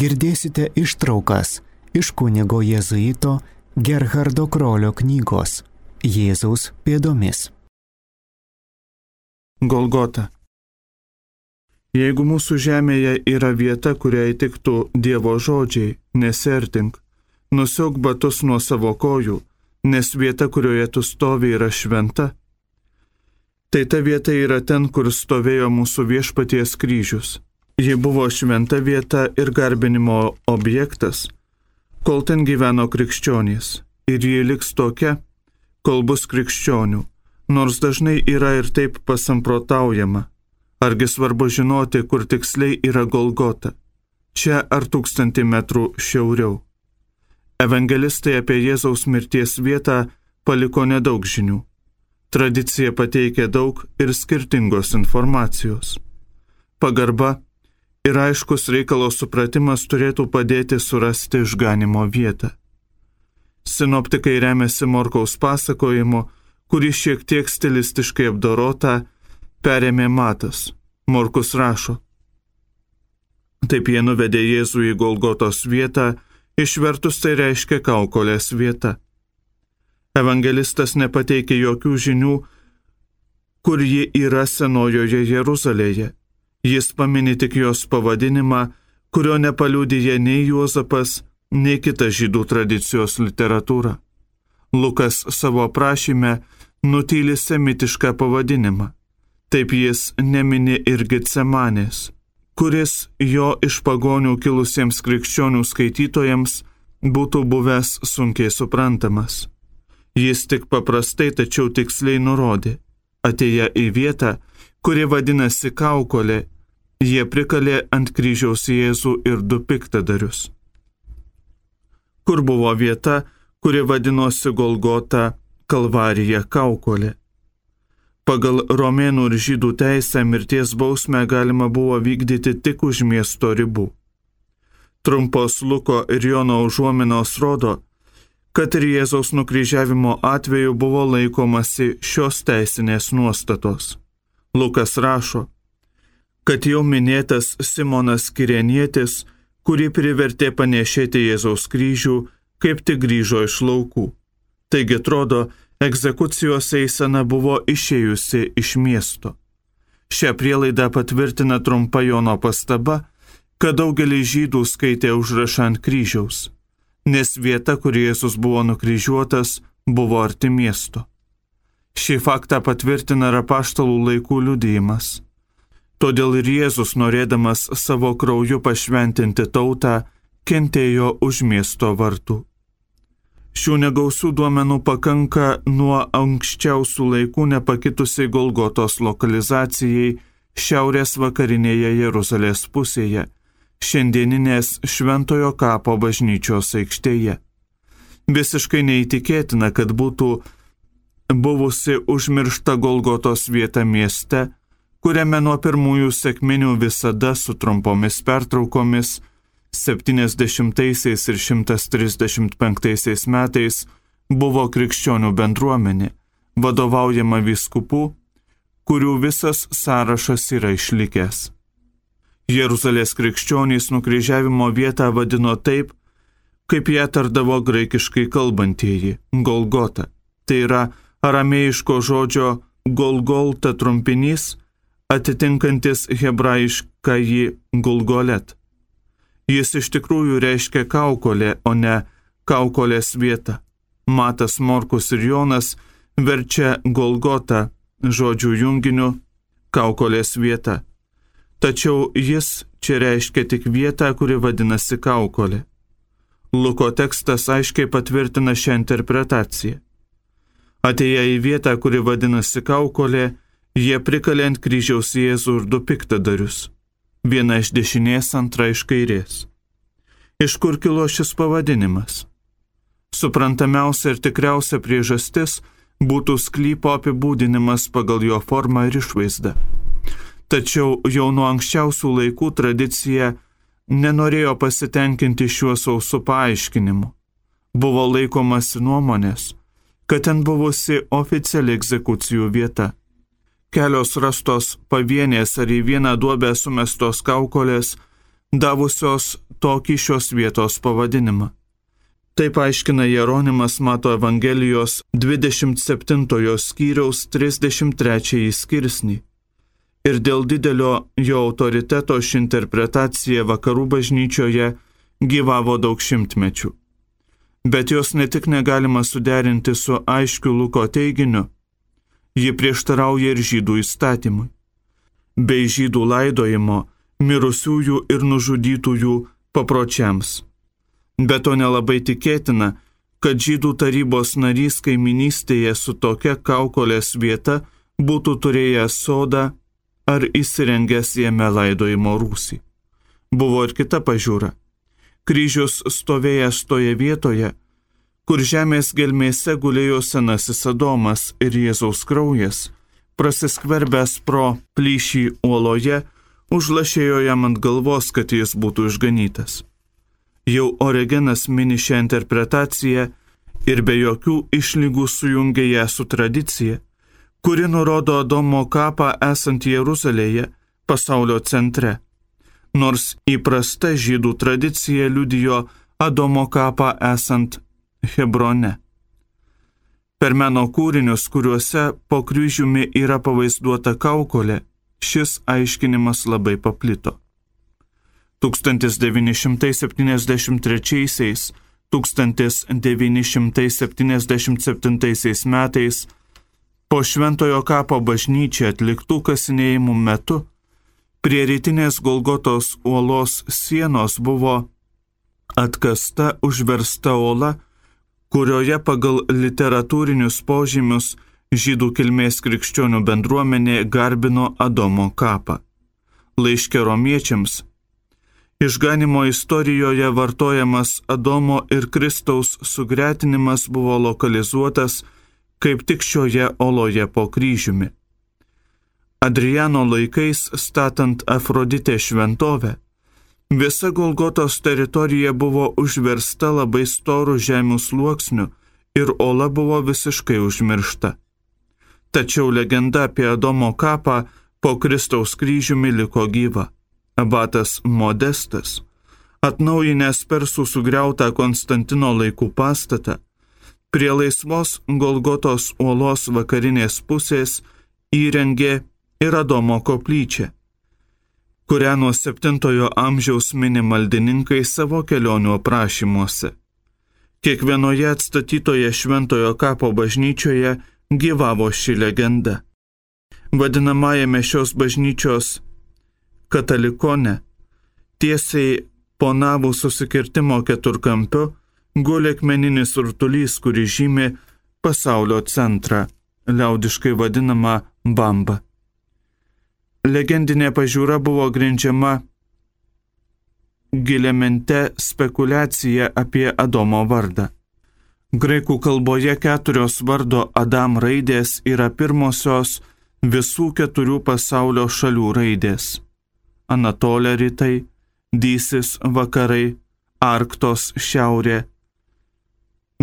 girdėsite ištraukas iš kunigo jėzuito Gerhardo Krolio knygos Jėzaus pėdomis. Golgota. Jeigu mūsų žemėje yra vieta, kuriai tiktų Dievo žodžiai, nesiartink, nusiauk batus nuo savo kojų, nes vieta, kurioje tu stovi, yra šventa, tai ta vieta yra ten, kur stovėjo mūsų Viešpaties kryžius. Ji buvo šventa vieta ir garbinimo objektas, kol ten gyveno krikščionys, ir ji liks tokia, kol bus krikščionių, nors dažnai yra ir taip pasamprotaujama. Argi svarbu žinoti, kur tiksliai yra Golgota, čia ar 1000 metrų šiauriau. Evangelistai apie Jėzaus mirties vietą paliko nedaug žinių. Tradicija pateikia daug ir skirtingos informacijos. Pagarba ir aiškus reikalo supratimas turėtų padėti surasti išganimo vietą. Sinoptikai remiasi Morkaus pasakojimu, kurį šiek tiek stilistiškai apdorota perėmė Matas. Morkus rašo: taip jie nuvedė Jėzų į Golgotos vietą, išvertus tai reiškia kaukolės vieta. Evangelistas nepateikė jokių žinių, kur ji yra Senojoje Jeruzalėje. Jis pamini tik jos pavadinimą, kurio nepaliudija nei Juozapas, nei kita žydų tradicijos literatūra. Lukas savo aprašyme nutyli semitišką pavadinimą. Taip jis nemini ir Getsemanės, kuris jo iš pagonių kilusiems krikščionių skaitytojams būtų buvęs sunkiai suprantamas. Jis tik paprastai, tačiau tiksliai nurodė: atėję į vietą, kuri vadinasi kaukolė, jie prikalė ant kryžiaus Jėzų ir 2 piktadarius. Kur buvo vieta, kuri vadinosi Golgota, Kalvarija, kaukolė? Pagal romėnų ir žydų teisę mirties bausmę galima buvo vykdyti tik už miesto ribų. Trumpos Luko ir Jono užuominos rodo, kad ir Jėzaus nukryžiavimo atveju buvo laikomasi šios teisinės nuostatos. Lukas rašo, kad jau minėtas Simonas Kirenietis, kurį privertė panešėti Jėzaus kryžių, kaip tik grįžo iš laukų. Taigi atrodo, egzekucijos eisena buvo išėjusi iš miesto. Šią prielaidą patvirtina trumpa Jono pastaba, kad daugelis žydų skaitė užrašą ant kryžiaus, nes vieta, kur Jėzus buvo nukryžiuotas, buvo arti miesto. Šį faktą patvirtina ir apaštalų laikų liudijimas. Todėl ir Jėzus, norėdamas savo krauju pašventinti tautą, kentėjo už miesto vartų. Šių negausių duomenų pakanka nuo anksčiausių laikų nepakitusiai Golgotos lokalizacijai šiaurės vakarinėje Jeruzalės pusėje, šiandieninės Šventojo kapo bažnyčios aikštėje. Visiškai neįtikėtina, kad būtų buvusi užmiršta Golgotos vieta mieste, kuriame nuo pirmųjų sekminių visada su trumpomis pertraukomis 70 ir 135 metais buvo krikščionių bendruomenė, vadovaujama vyskupų, kurių visas sąrašas yra išlikęs. Jeruzalės krikščionys nukryžiavimo vietą vadino taip, kaip ją tardavo graikiškai kalbantieji – Golgota. Tai yra aramėjiško žodžio Golgolta trumpinys, atitinkantis hebrajiškąjį Gulgolet. Jis iš tikrųjų reiškia kaukolė, o ne kaukolės vieta. Matas, Morkus ir Jonas verčia Golgotą žodžių junginiu kaukolės vieta. Tačiau jis čia reiškia tik vietą, kuri vadinasi kaukolė. Luko tekstas aiškiai patvirtina šią interpretaciją. Atėję į vietą, kuri vadinasi kaukolė, jie prikalė ant kryžiaus Jėzų ir 2 piktadarius. Viena iš dešinės, antra iš kairės. Iš kur kilo šis pavadinimas? Suprantamiausia ir tikriausia priežastis būtų sklypo apibūdinimas pagal jo formą ir išvaizdą. Tačiau jau nuo anksčiausių laikų tradicija nenorėjo pasitenkinti šiuo sausu paaiškinimu. Buvo laikomasi nuomonės, kad ten buvusi oficiali egzekucijų vieta. Kelios rastos pavienės ar į vieną duobę sumestos kaukolės davusios tokį šios vietos pavadinimą. Taip aiškina Jeronimas Mato Evangelijos 27 skyriaus 33 skirsnį. Ir dėl didelio jo autoriteto ši interpretacija vakarų bažnyčioje gyvavo daug šimtmečių. Bet jos ne tik negalima suderinti su aiškiu Luko teiginiu, ji prieštarauja ir žydų įstatymui, bei žydų laidojimo, mirusiųjų ir nužudytųjų papročiams. Bet to nelabai tikėtina, kad žydų tarybos narys kaiminystėje su tokia kaukolės vieta būtų turėjęs sodą ar įsirengęs jame laidojimo rūsį. Buvo ir kita pažiūra. Kryžius stovėjęs toje vietoje, kur žemės gelmėse gulėjo senasis Adomas ir Jėzaus kraujas, prasiskverbęs pro plyšį uoloje, užlašėjo jam ant galvos, kad jis būtų išganytas. Jau Origenas mini šią interpretaciją ir be jokių išlygų sujungia ją su tradicija, kuri nurodo Adomo kapą esant Jeruzalėje, pasaulio centre, nors įprasta žydų tradicija liudijo Adomo kapą esant Hebrone. Per meno kūrinius, kuriuose po kryžiumi yra pavaizduota kaukolė, šis aiškinimas labai paplito. 1973–1977 metais po Šventojo kapo bažnyčią atliktų kasinėjimų metu prie rytinės Golgotos uolos sienos buvo atkasta užversta uola, kurioje pagal literatūrinius požymius žydų kilmės krikščionių bendruomenė garbino Adomo kapą. Laiške romiečiams išganimo istorijoje vartojamas Adomo ir Kristaus sugretinimas buvo lokalizuotas kaip tik šioje oloje po kryžiumi. Adriano laikais statant Afroditę šventovę, visa Golgotos teritorija buvo užversta labai storų žemių sluoksnių ir ola buvo visiškai užmiršta. Tačiau legenda apie Adomo kapą po Kristaus kryžiumi liko gyva. Abatas Modestas, atnaujinęs persų sugriautą Konstantino laikų pastatą, prie laisvos Golgotos uolos vakarinės pusės įrengė ir Adomo koplyčią, kurią nuo 7 amžiaus mini maldininkai savo kelionių aprašymuose. Kiekvienoje atstatytoje Šventojo kapo bažnyčioje gyvavo ši legenda. Vadinamajame šios bažnyčios katalikone, tiesiai po navų susikirtimo keturkampiu, guli akmeninis rutulys, kuri žymi pasaulio centrą, liaudiškai vadinama Bamba. Legendinė pažiūra buvo grindžiama giliamente spekulacija apie Adomo vardą. Graikų kalboje 4 vardo Adam raidės yra pirmosios visų 4 pasaulio šalių raidės. Anatolė rytai, Dysis vakarai, Arktos šiaurė,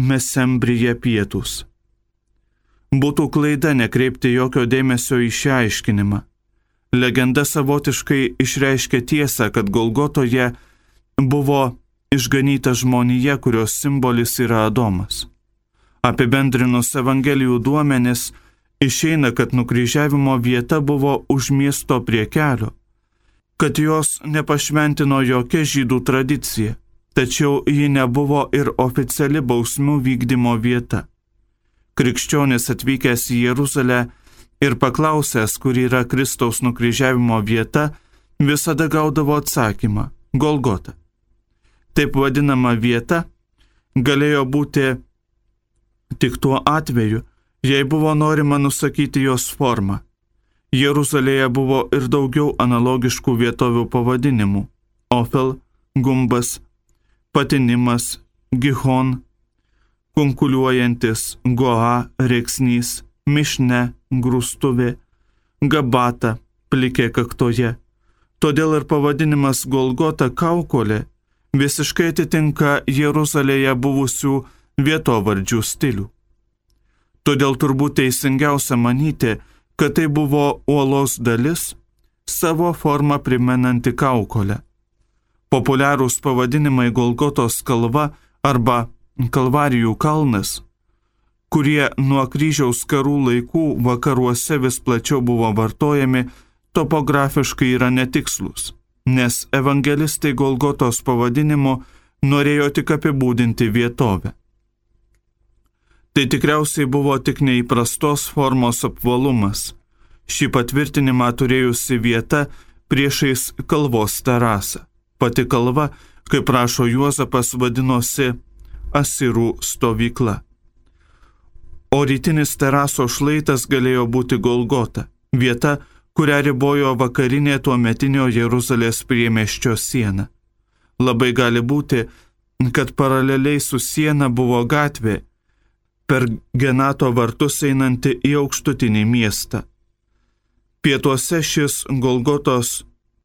Mesembrija pietūs. Būtų klaida nekreipti jokio dėmesio į šią aiškinimą. Legenda savotiškai išreiškia tiesą, kad Golgotoje buvo išganyta žmonija, kurios simbolis yra Adomas. Apibendrinus Evangelijų duomenis, išeina, kad nukryžiavimo vieta buvo už miesto prie kelio, kad jos nepašventino jokia žydų tradicija, tačiau ji nebuvo ir oficiali bausmių vykdymo vieta. Krikščionis atvykęs į Jeruzalę ir paklausęs, kur yra Kristaus nukryžiavimo vieta, visada gaudavo atsakymą – Golgota. Taip vadinama vieta galėjo būti tik tuo atveju, jei buvo norima nusakyti jos formą. Jeruzalėje buvo ir daugiau analogiškų vietovių pavadinimų – Ofel, Gumbas, Patinimas, Gihon, kunkuliuojantis, Goa, Rėksnys, Mišne, Grūstuvė, Gabata, plikė kaktoje. Todėl ir pavadinimas Golgota kaukolė visiškai atitinka Jeruzalėje buvusių vietovardžių stilių. Todėl turbūt teisingiausia manyti, kad tai buvo uolos dalis, savo formą primenanti kaukolę. Populiarūs pavadinimai Golgotos kalva arba Kalvarijų kalnas, kurie nuo kryžiaus karų laikų vakaruose vis plačiau buvo vartojami, topografiškai yra netikslus, nes evangelistai Golgotos pavadinimu norėjo tik apibūdinti vietovę. Tai tikriausiai buvo tik neįprastos formos apvalumas, šį patvirtinimą turėjusi vieta priešais kalvos terasą. Pati kalva, kaip rašo Juozapas, vadinosi Asirų stovykla. O rytinis teraso šlaitas galėjo būti Golgota, vieta, kurią ribojo vakarinė tuometinio Jeruzalės priemiesčio siena. Labai gali būti, kad paraleliai su siena buvo gatvė per Genato vartus einanti į aukštutinį miestą. Pietuose šis Golgotos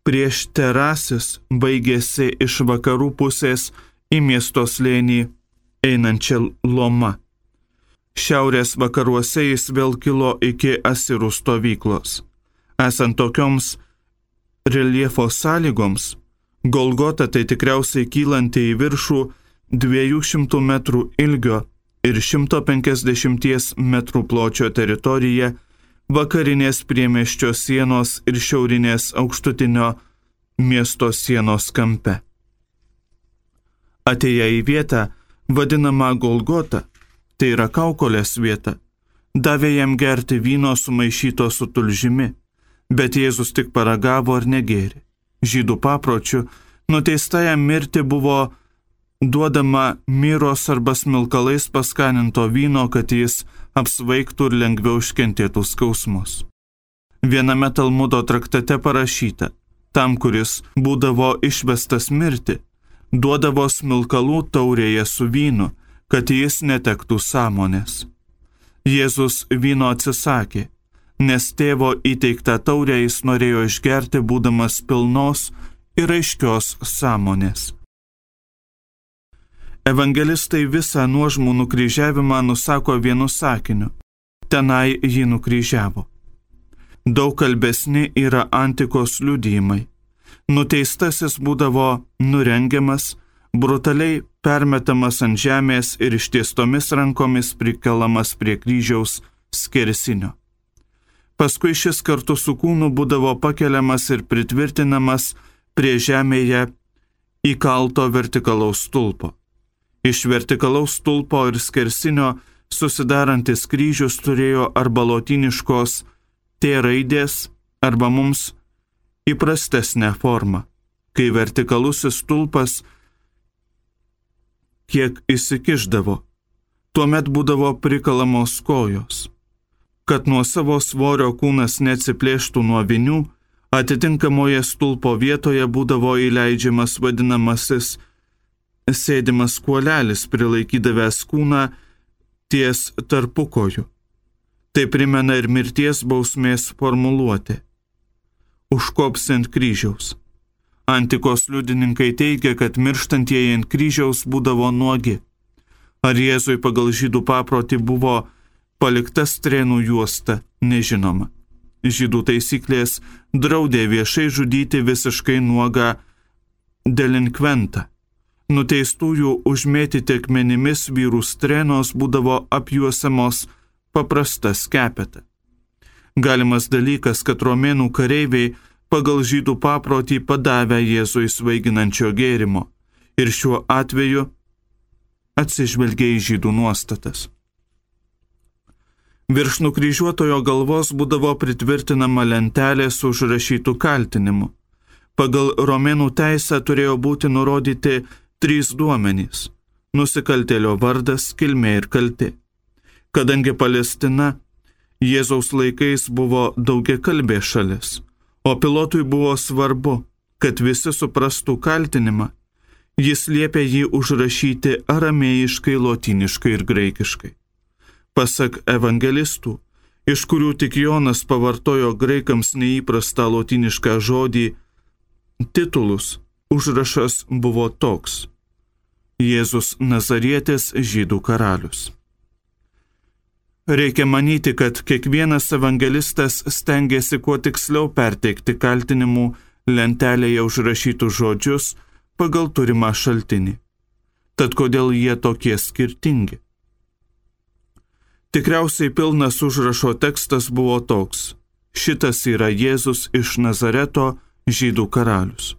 prieš terasis baigėsi iš vakarų pusės į miesto slėnį einančią lomą. Šiaurės vakaruose jis vėl kilo iki Asirų stovyklos. Esant tokioms reljefo sąlygoms, Golgota tai tikriausiai kylanti į viršų 200 metrų ilgio ir 150 metrų pločio teritorija vakarinės priemiesčio sienos ir šiaurinės aukštutinio miesto sienos kampe. Atėję į vietą, vadinamą Golgota, tai yra kaukolės vieta, davė jam gerti vyno sumaišyto su tulžimi, bet Jėzus tik paragavo ar negėrė. Žydų papročių nuteistajam mirti buvo duodama miros arba smilkalais paskaninto vyno, kad jis apsvaigtų ir lengviau iškentėtų skausmus. Viename Talmudo traktate parašyta, tam, kuris būdavo išvestas mirti, duodavo smilkalų taurėje su vynu, kad jis netektų sąmonės. Jėzus vyno atsisakė, nes tėvo įteiktą taurę jis norėjo išgerti, būdamas pilnos ir aiškios sąmonės. Evangelistai visą nuožmų nukryžiavimą nusako vienu sakiniu: tenai jį nukryžiavo. Daug kalbesni yra antikos liudijimai. Nuteistasis būdavo nurengiamas, brutaliai permetamas ant žemės ir ištiestomis rankomis prikelamas prie kryžiaus skersinio. Paskui šis kartu su kūnu būdavo pakeliamas ir pritvirtinamas prie žemėje įkalto vertikalaus stulpo. Iš vertikalaus stulpo ir skersinio susidarantis kryžius turėjo arba lotyniškos T raidės, arba mums įprastesnę formą, kai vertikalusis stulpas kiek įsikišdavo, tuomet būdavo prikalamos kojos. Kad nuo savo svorio kūnas neatsiplėštų nuo vinių, atitinkamoje stulpo vietoje būdavo įleidžiamas vadinamasis sėdimas kuolelis, prilaikydavęs kūną ties tarpukojų. Tai primena ir mirties bausmės formuluotė: užkops ant kryžiaus. Antikos liudininkai teigia, kad mirštantieji ant kryžiaus būdavo nuogi. Ar Jėzui pagal žydų paprotį buvo palikta strėnų juosta, nežinoma. Žydų taisyklės draudė viešai žudyti visiškai nuogą delinkventą. Nuteistųjų užmėtyti akmenimis vyrų strėnos būdavo apjuosiamos paprasta skepeta. Galimas dalykas, kad romėnų kareiviai pagal žydų paprotį padavę Jėzui svaiginančio gėrimo ir šiuo atveju atsižvelgė į žydų nuostatas. Virš nukryžiuotojo galvos būdavo pritvirtinama lentelė su užrašytų kaltinimu. Pagal romėnų teisę turėjo būti nurodyti 3 duomenys – nusikaltėlio vardas, kilmė ir kaltė. Kadangi Palestina Jėzaus laikais buvo daugiakalbė šalis, o Pilotui buvo svarbu, kad visi suprastų kaltinimą, jis liepė jį užrašyti aramėjiškai, lotyniškai ir graikiškai. Pasak evangelistų, iš kurių tik Jonas pavartojo graikams neįprastą lotynišką žodį titulus, užrašas buvo toks: Jėzus Nazarietis, žydų karalius. Reikia manyti, kad kiekvienas evangelistas stengiasi kuo tiksliau perteikti kaltinimų lentelėje užrašytus žodžius, pagal turimą šaltinį. Tad kodėl jie tokie skirtingi? Tikriausiai pilnas užrašo tekstas buvo toks: šitas yra Jėzus iš Nazareto, žydų karalius.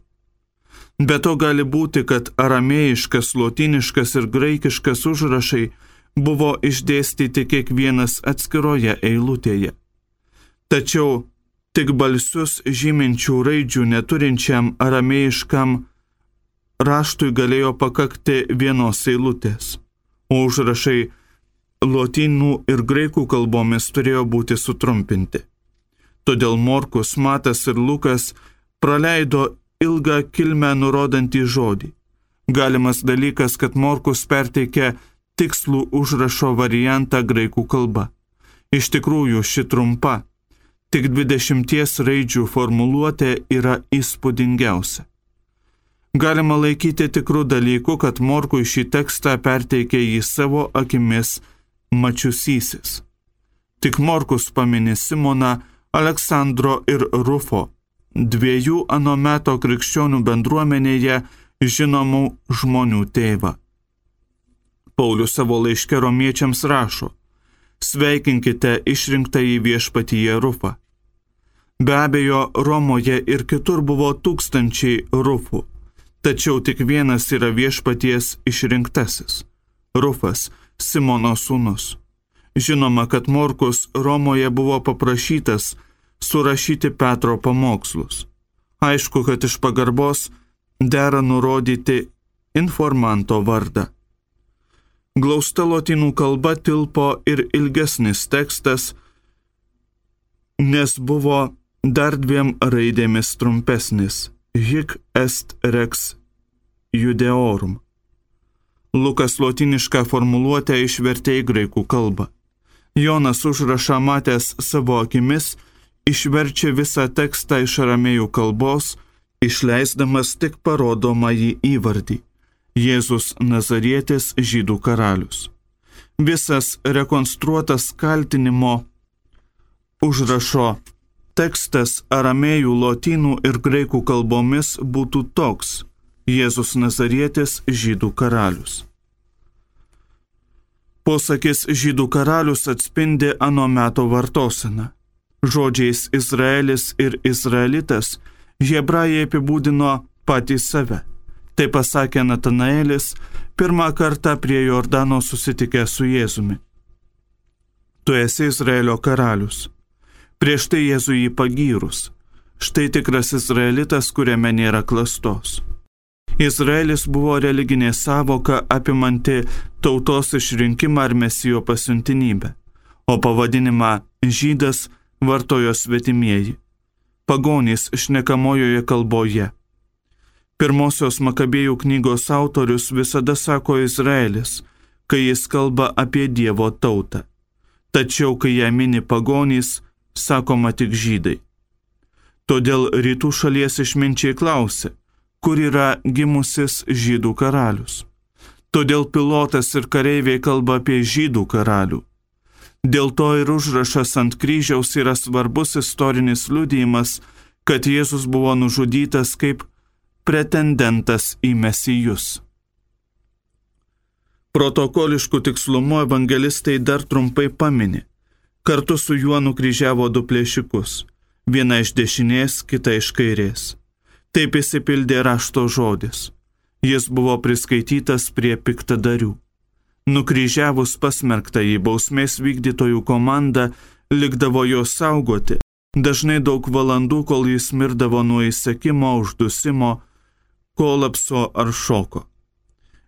Be to gali būti, kad aramėjiškas, lotyniškas ir graikiškas užrašai buvo išdėstyti kiekvienas atskiroje eilutėje. Tačiau tik balsius žyminčių raidžių neturinčiam aramėjiškam raštui galėjo pakakti vienos eilutės, o užrašai lotynų ir graikų kalbomis turėjo būti sutrumpinti. Todėl Morkus, Matas ir Lukas praleido ilgą kilmę nurodantį žodį. Galimas dalykas, kad Morkus perteikė tikslų užrašo variantą graikų kalba. Iš tikrųjų, ši trumpa, tik 20 raidžių formuluotė yra įspūdingiausia. Galima laikyti tikrų dalykų, kad Morkui šį tekstą perteikė jį savo akimis mačiusysis. Tik Morkus pamini Simoną, Aleksandro ir Rufo, dviejų ano meto krikščionių bendruomenėje žinomų žmonių tėvą. Paulius savo laiške romiečiams rašo: sveikinkite išrinktąjį viešpatyje Rufą. Be abejo, Romoje ir kitur buvo tūkstančiai Rufų, tačiau tik vienas yra viešpaties išrinktasis – Rufas, Simono sūnus. Žinoma, kad Morkus Romoje buvo paprašytas surašyti Petro pamokslus. Aišku, kad iš pagarbos dera nurodyti informanto vardą. Glausta lotynų kalba tilpo ir ilgesnis tekstas, nes buvo dar 2 raidėmis trumpesnis – hic est rex judeorum. Lukas lotynišką formuluotę išvertė į graikų kalbą. Jonas užrašą matęs savo akimis išverčia visą tekstą iš aramėjų kalbos, išleisdamas tik parodomąjį įvardį – Jėzus Nazarietis, žydų karalius. Visas rekonstruotas kaltinimo užrašo tekstas aramėjų, lotynų ir graikų kalbomis būtų toks: Jėzus Nazarietis, žydų karalius. Posakis žydų karalius atspindi ano meto vartoseną. Žodžiais Izraelis ir Izraelitas hebrajai apibūdino patį save. Tai pasakė Natanaelis pirmą kartą prie Jordano susitikę su Jėzumi. Tu esi Izraelio karalius. Prieš tai Jėzų jį pagyrus. Štai tikras Izraelitas, kuriame nėra klastos. Izraelis buvo religinė sąvoka apimanti tautos išrinkimą ar mesijo pasiuntinybę, o pavadinimą žydas vartojo svetimieji, pagonys šnekamojoje kalboje. Pirmosios Makabėjų knygos autorius visada sako Izraelis, kai jis kalba apie Dievo tautą. Tačiau, kai ją mini pagonys, sakoma tik žydai. Todėl rytų šalies išminčiai klausė, kur yra gimusis žydų karalius. Todėl pilotas ir kareiviai kalba apie žydų karalių. Dėl to ir užrašas ant kryžiaus yra svarbus istorinis liudijimas, kad Jėzus buvo nužudytas kaip pretendentas į mesijus. Protokoliškų tikslumu evangelistai dar trumpai pamini. Kartu su juo nukryžiavo 2 plėšikus, viena iš dešinės, kita iš kairės. Taip išsipildė rašto žodis. Jis buvo priskaitytas prie piktadarių. Nukryžiavus pasmerktąjį, bausmės vykdytojų komanda likdavo jo saugoti, dažnai daug valandų, kol jis mirdavo nuo įsekimo, uždusimo, kolapso ar šoko.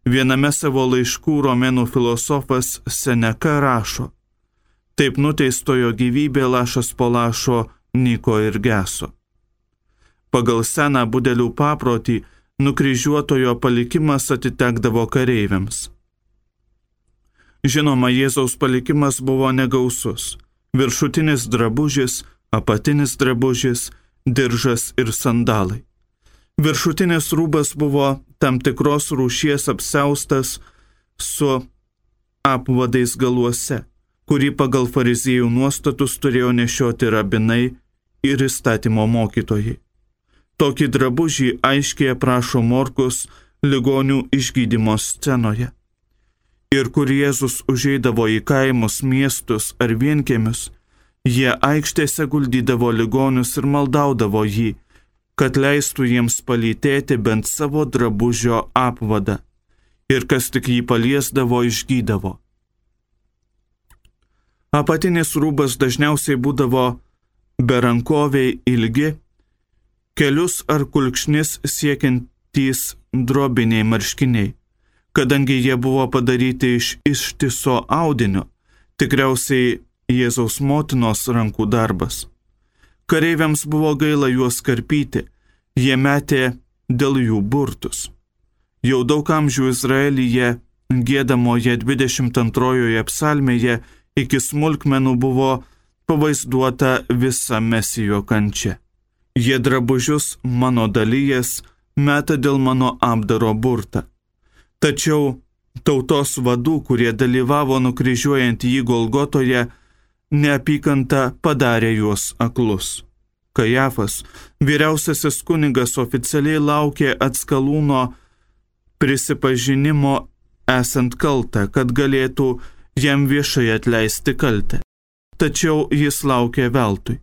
Viename savo laiškų romėnų filosofas Seneka rašo: taip nuteistojo gyvybė lašas po lašo nyko ir geso. Pagal seną budelių paprotį nukryžiuotojo palikimas atitekdavo kareiviams. Žinoma, Jėzaus palikimas buvo negausus. Viršutinis drabužis, apatinis drabužis, diržas ir sandalai. Viršutinis rūbas buvo tam tikros rūšies apsiaustas su apvadais galuose, kurį pagal fariziejų nuostatus turėjo nešioti rabinai ir įstatymo mokytojai. Tokį drabužį aiškiai aprašo Morkus ligonių išgydymo scenoje. Ir kur Jėzus užeidavo į kaimus, miestus ar vienkiemius, jie aikštėse guldydavo ligonius ir maldaudavo jį, kad leistų jiems palytėti bent savo drabužio apvadą, ir kas tik jį paliesdavo, išgydavo. Apatinis rūbas dažniausiai būdavo berankoviai ilgi, kelius ar kulkšnis siekiantys drobiniai marškiniai, kadangi jie buvo padaryti iš ištiso audinio, tikriausiai Jėzaus motinos rankų darbas. Kareiviams buvo gaila juos karpyti, jie metė dėl jų burtus. Jau daug amžių Izraelyje giedamoje 22 psalmėje iki smulkmenų buvo pavaizduota visa Mesijo kančia. Jie drabužius mano dalyjas meta dėl mano apdaro burtą. Tačiau tautos vadų, kurie dalyvavo nukryžiuojant jį Golgotoje, neapykanta padarė juos aklus. Kajafas, vyriausiasis kunigas, oficialiai laukė atskalūno prisipažinimo esant kaltą, kad galėtų jam viešai atleisti kaltę. Tačiau jis laukė veltui.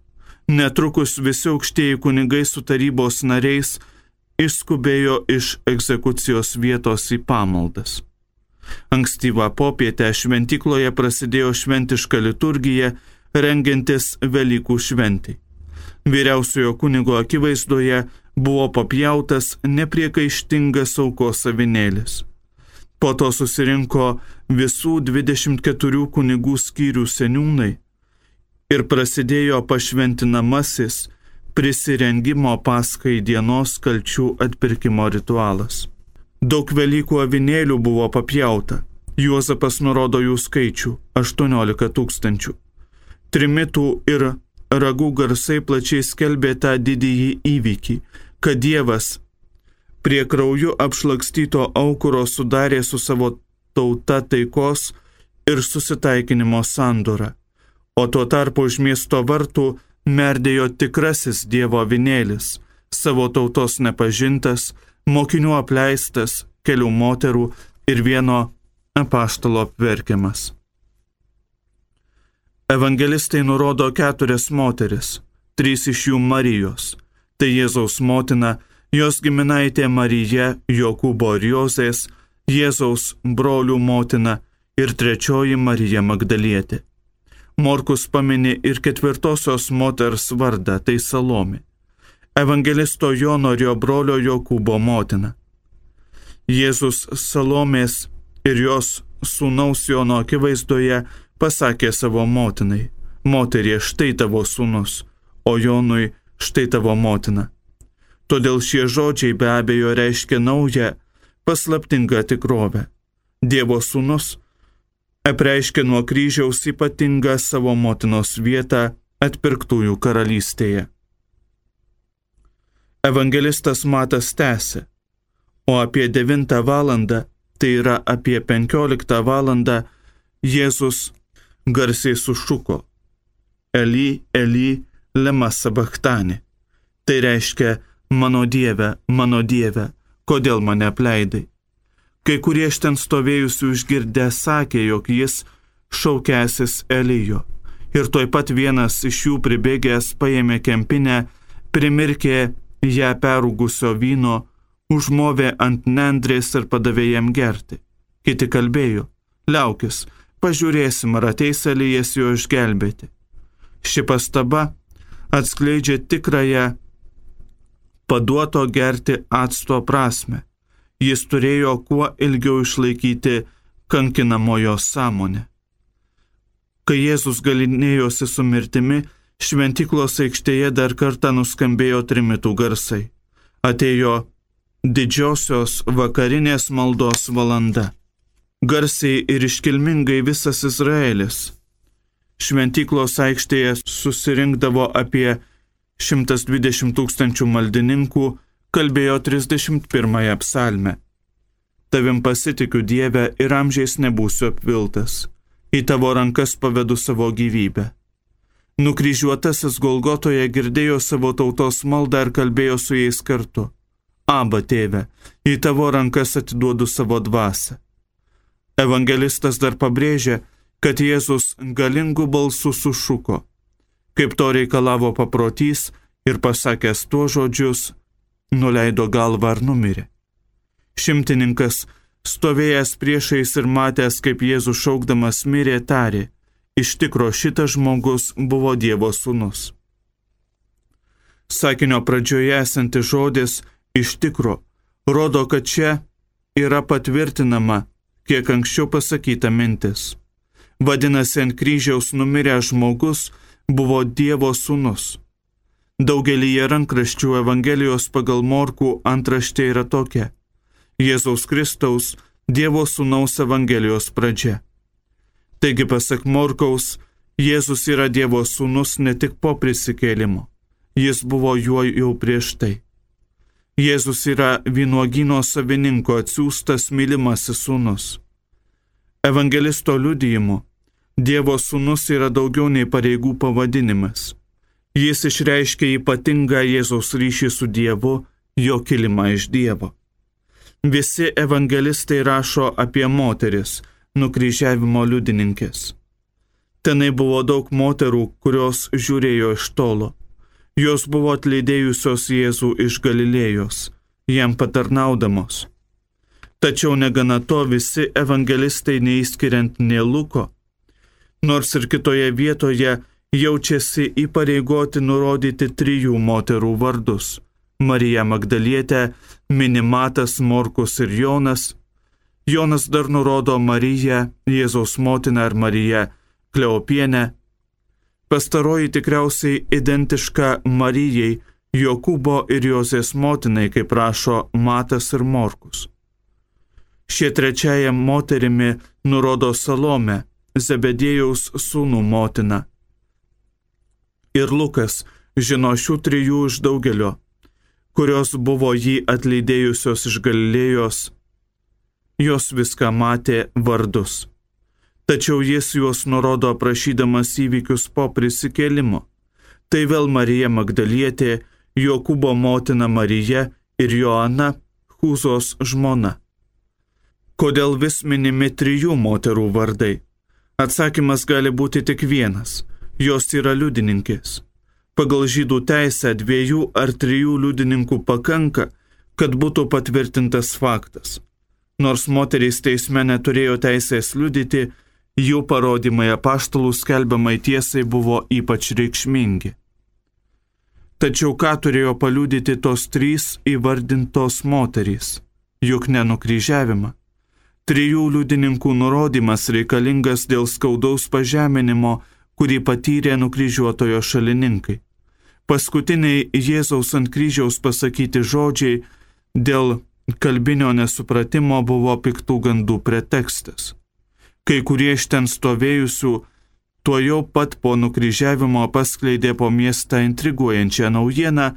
Netrukus visi aukštieji kunigai su tarybos nariais išskubėjo iš egzekucijos vietos į pamaldas. Ankstyvą popietę šventykloje prasidėjo šventiška liturgija, rengiantis Velykų šventei. Vyriausiojo kunigo akivaizdoje buvo papjautas nepriekaištingas aukos avinėlis. Po to susirinko visų 24 kunigų skyrių seniūnai ir prasidėjo pašventinamasis prisirengimo Paskai dienos kalčių atpirkimo ritualas. Daug Velykų avinėlių buvo papjauta. Juozapas nurodo jų skaičių – 18 000. Trimitų ir ragų garsai plačiai skelbė tą didįjį įvykį, kad Dievas prie krauju apšlakstyto aukuro sudarė su savo tauta taikos ir susitaikinimo sandorą, o tuo tarpu už miesto vartų merdėjo tikrasis Dievo avinėlis, savo tautos nepažintas, mokinių apleistas, kelių moterų ir vieno apaštalo apverkiamas. Evangelistai nurodo 4 moteris, 3 iš jų Marijos. Tai Jėzaus motina, jos giminaitė Marija, Jokūbo ir Jozės, Jėzaus brolių motina ir 3 Marija Magdalietė. Morkus pamini ir 4 moters vardą, tai Salomė. Evangelisto Jono ir jo brolio Jokūbo motina. Jėzus Salomės ir jos sūnaus Jono akivaizdoje pasakė savo motinai: moterie, štai tavo sūnus, o Jonui štai tavo motina. Todėl šie žodžiai be abejo reiškia naują, paslaptingą tikrovę. Dievo sūnus apreiškė nuo kryžiaus ypatingą savo motinos vietą atpirktųjų karalystėje. Evangelistas Matas tęsė: o apie 9 valandą, tai yra apie 15 valandą, Jėzus garsiai sušuko: Eli, Eli, lema sabachtani. Tai reiškia: mano Dieve, kodėl mane apleidai? Kai kurie iš ten stovėjusių išgirdę sakė, jog jis šaukęsis Elijo. Ir tuoj pat vienas iš jų pribėgęs paėmė kempinę, primirkė ją perūgusio vyno, užmovė ant nendrės ir padavė jam gerti. Kiti kalbėjo: liaukis, pažiūrėsim, ar ateis Elijas jo išgelbėti. Ši pastaba atskleidžia tikrąją paduoto gerti acto prasme. Jis turėjo kuo ilgiau išlaikyti kankinamojo sąmonę. Kai Jėzus galynėjosi su mirtimi, šventyklos aikštėje dar kartą nuskambėjo trimitų garsai. Atėjo didžiosios vakarinės maldos valanda. Garsiai ir iškilmingai visas Izraelis. Šventyklos aikštėje susirinkdavo apie 120 000 maldininkų, kalbėjo 31 psalmę. Tavim pasitikiu, Dieve, ir amžiais nebūsiu apviltas. Į tavo rankas pavedu savo gyvybę. Nukryžiuotasis Golgotoje girdėjo savo tautos maldą ir kalbėjo su jais kartu. Aba, tėve, į tavo rankas atiduodu savo dvasią. Evangelistas dar pabrėžia, kad Jėzus galingų balsų sušuko, kaip to reikalavo paprotys, ir pasakęs tuos žodžius, nuleido galvą ir numirė. Šimtininkas, stovėjęs priešais ir matęs, kaip Jėzus šaukdamas mirė, tarė, iš tikro šitas žmogus buvo Dievo sūnus. Sakinio pradžioje esantis žodis iš tikro rodo, kad čia yra patvirtinama, kiek anksčiau pasakyta mintis. Vadinasi, ant kryžiaus numiręs žmogus buvo Dievo sūnus. Daugelyje rankraščių Evangelijos pagal Morkų antraštė yra tokia: Jėzaus Kristaus, Dievo sūnaus Evangelijos pradžia. Taigi, pasak Morkaus, Jėzus yra Dievo sūnus ne tik po prisikėlimo, jis buvo juo jau prieš tai. Jėzus yra vynuogyno savininko atsiųstas mylimasis sūnus. Evangelisto liudijimu, Dievo sūnus yra daugiau nei pareigų pavadinimas. Jis išreiškia ypatingą Jėzaus ryšį su Dievu, jo kilimą iš Dievo. Visi evangelistai rašo apie moteris, nukryžiavimo liudininkės. Tenai buvo daug moterų, kurios žiūrėjo iš tolo. Jos buvo atleidėjusios Jėzų iš Galilėjos, jam patarnaudamos. Tačiau negana to, visi evangelistai, neįskiriant nė Luko, nors ir kitoje vietoje jaučiasi įpareigoti nurodyti 3 moterų vardus – Marija Magdalietė, mini Matas, Morkus ir Jonas. Jonas dar nurodo Mariją, Jėzaus motiną, ir Mariją Kleopienę. Pastaroji tikriausiai identiška Marijai, Jokūbo ir Jozės motinai, kaip rašo Matas ir Morkus. Šie trečiaja moterimi nurodo Salomę, Zebediejaus sūnų motiną. Ir Lukas žino šių 3 iš daugelio, kurios buvo jį atleidėjusios iš Galilėjos. Jos viską matė vardus. Tačiau jis juos nurodo aprašydamas įvykius po prisikėlimo. Tai vėl Marija Magdalietė, Jokūbo motina Marija ir Joana, Chūzos žmona. Kodėl vis minimi 3 moterų vardai? Atsakymas gali būti tik vienas. Jos yra liudininkės. Pagal žydų teisę 2 ar 3 liudininkų pakanka, kad būtų patvirtintas faktas. Nors moterys teisme neturėjo teisės liudyti, jų parodymai apaštalų skelbiamai tiesai buvo ypač reikšmingi. Tačiau ką turėjo paliudyti tos 3 įvardintos moterys? Juk ne nukryžiavimą. 3 liudininkų nurodymas reikalingas dėl skaudaus pažeminimo, kurį patyrė nukryžiuotojo šalininkai. Paskutiniai Jėzaus ant kryžiaus pasakyti žodžiai dėl kalbinio nesupratimo buvo piktų gandų pretekstas. Kai kurie iš ten stovėjusių tuojau pat po nukryžiavimo paskleidė po miestą intriguojančią naujieną,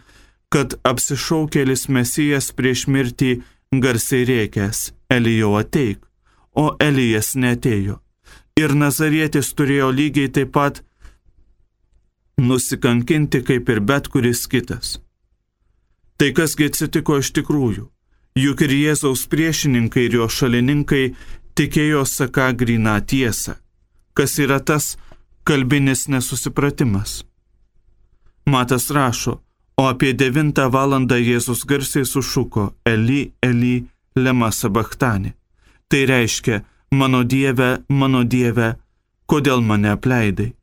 kad apsišaukėlis Mesijas prieš mirtį garsiai rėkęs: Elijau ateik, o Elijas neatėjo. Ir Nazarietis turėjo lygiai taip pat nusikankinti kaip ir bet kuris kitas. Tai kasgi atsitiko iš tikrųjų? Juk ir Jėzaus priešininkai ir jo šalininkai tikėjo saką gryną tiesą. Kas yra tas kalbinis nesusipratimas? Matas rašo, o apie 9 valandą Jėzus garsiai sušuko: Eli, Eli, lema sabachtani. Tai reiškia: mano Dieve, kodėl mane apleidai?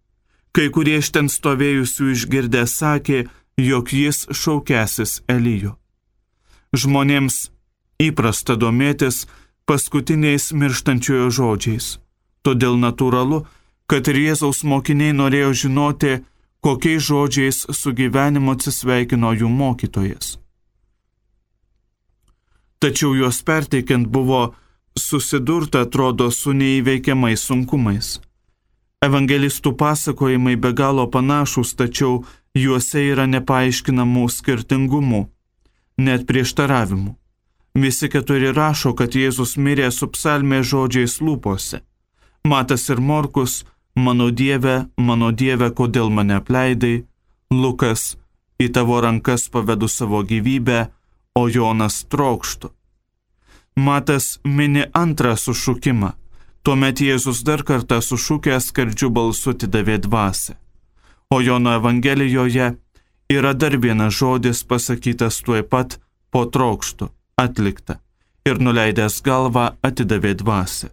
Kai kurie iš ten stovėjusių išgirdę sakė, jog jis šaukęsis Elijo. Žmonėms įprasta domėtis paskutiniais mirštančiojo žodžiais. Todėl natūralu, kad ir Jėzaus mokiniai norėjo žinoti, kokiais žodžiais su gyvenimu atsisveikino jų mokytojas. Tačiau juos perteikiant buvo susidurta, atrodo, su neįveikiamais sunkumais. Evangelistų pasakojimai be galo panašūs, tačiau juose yra nepaaiškinamų skirtingumų, net prieštaravimų. Visi 4 rašo, kad Jėzus mirė su psalmės žodžiais lūpose. Matas ir Morkus mano Dieve, kodėl mane apleidai? Lukas, į tavo rankas pavedu savo gyvybę, o Jonas trokštų. Matas mini antrą sušukimą. Tuomet Jėzus dar kartą sušukęs skardžiu balsu atidavė dvasią. O Jono Evangelijoje yra dar vienas žodis pasakytas tuoj pat po trokštų, atlikta, ir nuleidęs galvą atidavė dvasią.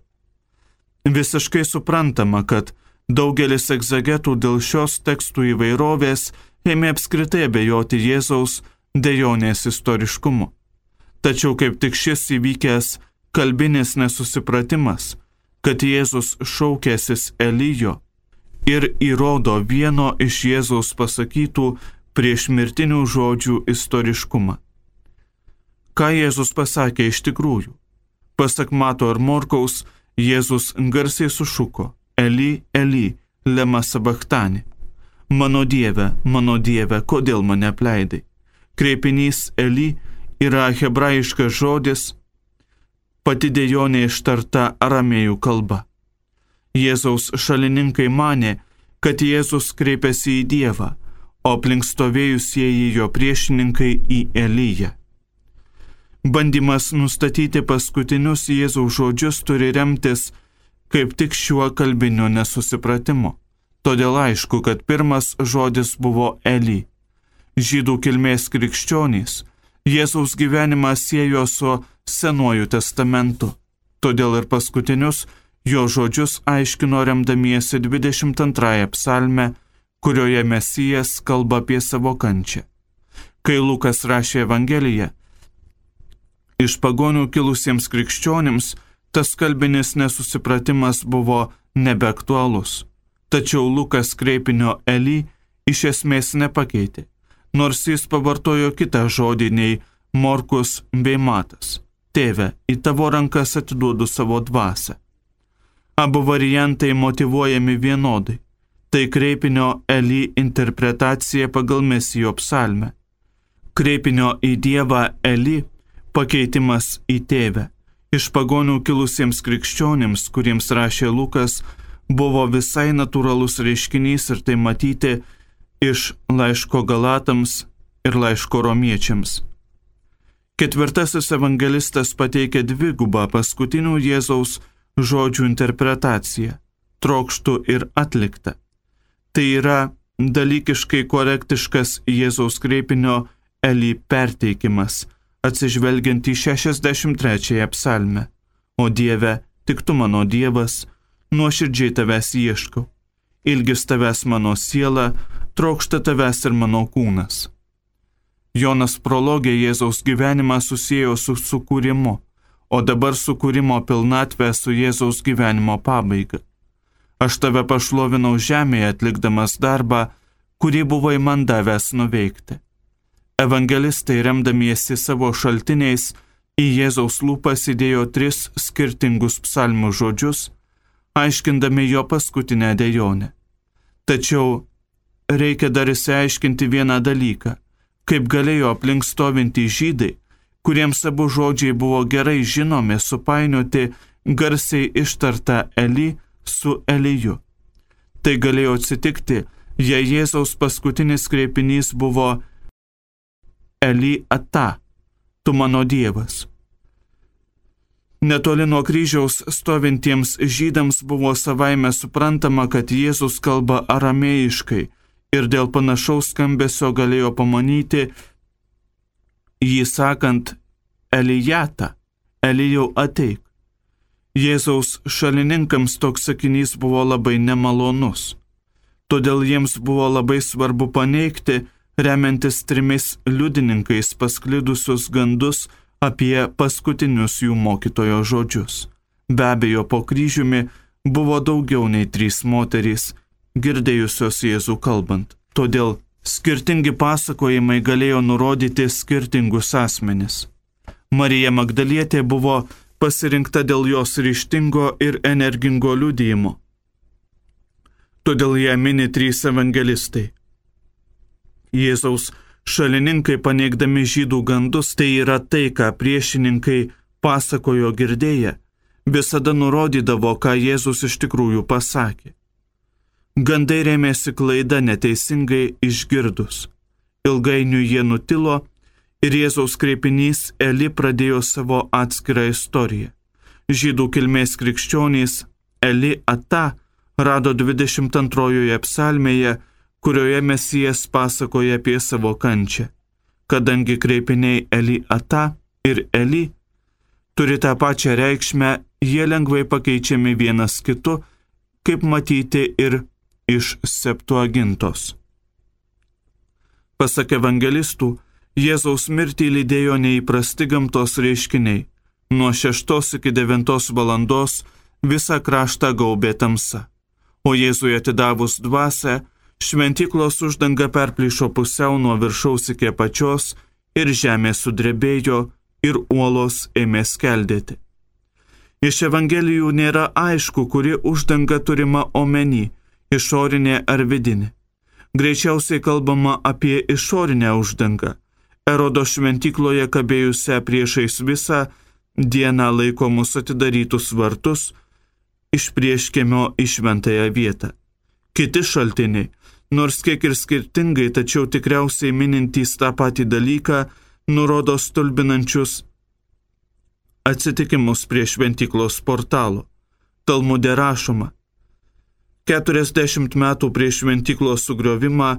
Visiškai suprantama, kad daugelis egzegetų dėl šios tekstų įvairovės ėmė apskritai abejoti Jėzaus dejonės istoriškumu. Tačiau kaip tik šis įvykęs kalbinis nesusipratimas, kad Jėzus šaukėsis Elijo, ir įrodo vieno iš Jėzaus pasakytų priešmirtinių žodžių istoriškumą. Ką Jėzus pasakė iš tikrųjų? Pasak Mato ir Morkaus, Jėzus garsiai sušuko: Eli, Eli, lema sabachtani. Mano Dieve, kodėl mane apleidai? Kreipinys Eli yra hebrajiškas žodis, pati dejonė ištarta aramėjų kalba. Jėzaus šalininkai manė, kad Jėzus kreipėsi į Dievą, o aplink stovėjusieji jo priešininkai į Eliją. Bandymas nustatyti paskutinius Jėzaus žodžius turi remtis kaip tik šiuo kalbiniu nesusipratimu. Todėl aišku, kad pirmas žodis buvo Eli. Žydų kilmės krikščionys Jėzaus gyvenimą siejo su Senuoju testamentu. Todėl ir paskutinius jo žodžius aiškino remdamiesi 22 psalme, kurioje Mesijas kalba apie savo kančią. Kai Lukas rašė Evangeliją, iš pagonių kilusiems krikščionims tas kalbinis nesusipratimas buvo nebeaktualus. Tačiau Lukas kreipinio Eli iš esmės nepakeitė, nors jis pavartojo kitą žodį nei Morkus bei Matas. Tėve, į tavo rankas atiduodu savo dvasią. Abu variantai motyvuojami vienodai. Tai kreipinio Eli interpretacija pagal Mesijo psalmę. Kreipinio į Dievą Eli pakeitimas į tėvę. Iš pagonių kilusiems krikščionims, kuriems rašė Lukas, buvo visai natūralus reiškinys ir tai matyti iš laiško Galatams ir laiško Romiečiams. Ketvirtasis evangelistas pateikia dvigubą paskutinių Jėzaus žodžių interpretaciją – trokštų ir atlikta. Tai yra dalykiškai korektiškas Jėzaus kreipinio Eli perteikimas, atsižvelgiant į 63 psalmę. O Dieve, tik tu mano Dievas, nuoširdžiai tavęs ieškau. Ilgis tavęs mano siela, trokšta tavęs ir mano kūnas. Jonas prologė Jėzaus gyvenimą susiejo su sukūrimu, o dabar sukūrimo pilnatvę su Jėzaus gyvenimo pabaiga. Aš tave pašlovinau žemėje atlikdamas darbą, kurį buvai man davęs nuveikti. Evangelistai, remdamiesi savo šaltiniais, į Jėzaus lūpas įdėjo 3 skirtingus psalmų žodžius, aiškindami jo paskutinę dejonę. Tačiau reikia dar išsiaiškinti vieną dalyką, kaip galėjo aplink stovinti žydai, kuriems abu žodžiai buvo gerai žinomi, supainioti garsiai ištartą Eli su Eliju. Tai galėjo atsitikti, jei Jėzaus paskutinis kreipinys buvo Eli ata, tu mano Dievas. Netoli nuo kryžiaus stovintiems žydams buvo savaime suprantama, kad Jėzus kalba aramėjiškai ir dėl panašaus skambesio galėjo pamanyti jį sakant Elijata, Elijau ateik. Jėzaus šalininkams toks sakinys buvo labai nemalonus. Todėl jiems buvo labai svarbu paneigti, remiantis 3 liudininkais pasklidusius gandus apie paskutinius jų mokytojo žodžius. Be abejo, po kryžiumi buvo daugiau nei 3 moterys, girdėjusios Jėzų kalbant. Todėl skirtingi pasakojimai galėjo nurodyti skirtingus asmenis. Marija Magdalietė buvo pasirinkta dėl jos ryžtingo ir energingo liudijimo. Todėl ją mini 3 evangelistai. Jėzaus šalininkai paneigdami žydų gandus, tai yra tai, ką priešininkai pasakojo girdėję, visada nurodydavo, ką Jėzus iš tikrųjų pasakė. Gandai rėmėsi klaida neteisingai išgirdus. Ilgainiui jie nutilo ir Jėzaus kreipinys Eli pradėjo savo atskirą istoriją. Žydų kilmės krikščionys Eli Ata rado 22 psalmėje, kurioje Mesijas pasakoja apie savo kančią. Kadangi kreipiniai Eli Ata ir Eli turi tą pačią reikšmę, jie lengvai pakeičiami vienas kitu, kaip matyti ir iš Septuagintos. Pasak evangelistų, Jėzaus mirtį lydėjo neįprasti gamtos reiškiniai. Nuo 6 iki 9 valandos visą kraštą gaubė tamsa. O Jėzui atidavus dvasią, šventyklos uždanga perplyšo pusiau nuo viršaus iki apačios ir žemė sudrebėjo ir uolos ėmė skeldėti. Iš evangelijų nėra aišku, kuri uždanga turima omeny, išorinė ar vidinė. Greičiausiai kalbama apie išorinę uždangą, Erodo šventykloje kabėjusią priešais visą dieną laikomus atidarytus vartus iš prieškiemio į šventąją vietą. Kiti šaltiniai, nors kiek ir skirtingai, tačiau tikriausiai minintys tą patį dalyką, nurodo stulbinančius atsitikimus prie šventyklos portalo. Talmude rašoma: 40 metų prieš šventyklos sugriovimą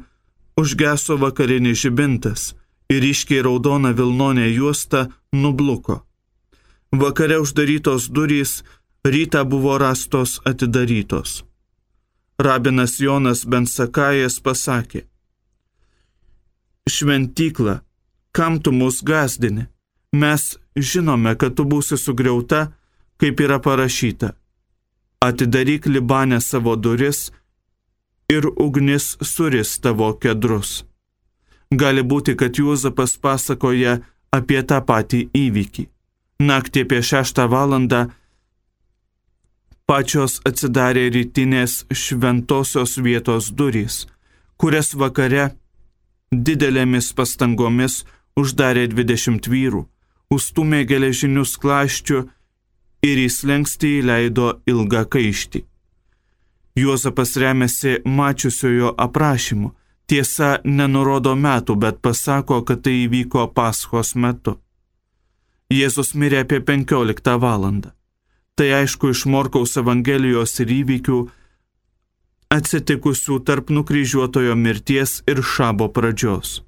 užgeso vakarinis žibintas ir ryškiai raudona vilnonė juosta nubluko. Vakare uždarytos durys, rytą buvo rastos atidarytos. Rabinas Jonas ben Sakajas pasakė: šventykla, kam tu mus gąsdini? Mes žinome, kad tu būsi sugriauta, kaip yra parašyta. Atidaryk Libane savo duris ir ugnis suris tavo kedrus. Gali būti, kad Juozapas pasakoja apie tą patį įvykį. Naktį apie 6 valandą pačios atsidarė rytinės šventosios vietos durys, kurias vakare didelėmis pastangomis uždarė 20 vyrų, užstūmė geležinius klaščių ir į slenkstį įleido ilgą kaištį. Juozapas remiasi mačiusiojo aprašymu, tiesa nenurodo metų, bet pasako, kad tai įvyko Paschos metu. Jėzus mirė apie 15 valandą. Tai aišku iš Morkaus Evangelijos ir įvykių atsitikusių tarp nukryžiuotojo mirties ir šabo pradžios.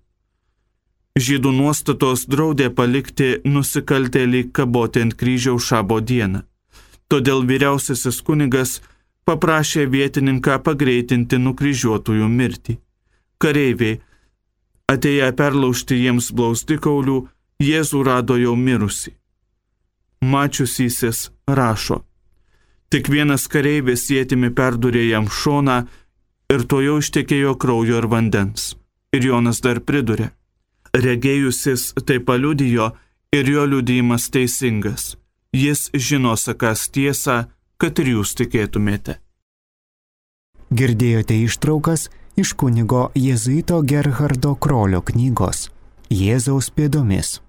Žydų nuostatos draudė palikti nusikaltėlį kaboti ant kryžiaus šabo dieną. Todėl vyriausiasis kunigas paprašė vietininką pagreitinti nukryžiuotųjų mirtį. Kareiviai, atėję perlaužti jiems blauzdikaulių, Jėzų rado jau mirusį. Mačiusysis rašo: tik vienas kareivis ietimi perdūrė jam šoną ir tuojau ištekėjo kraujo ir vandens. Ir Jonas dar pridūrė: regėjusis tai paliudijo ir jo liudijimas teisingas. Jis žino sakąs tiesą, kad ir jūs tikėtumėte. Girdėjote ištraukas iš kunigo jėzuito Gerhardo Krolio knygos Jėzaus pėdomis.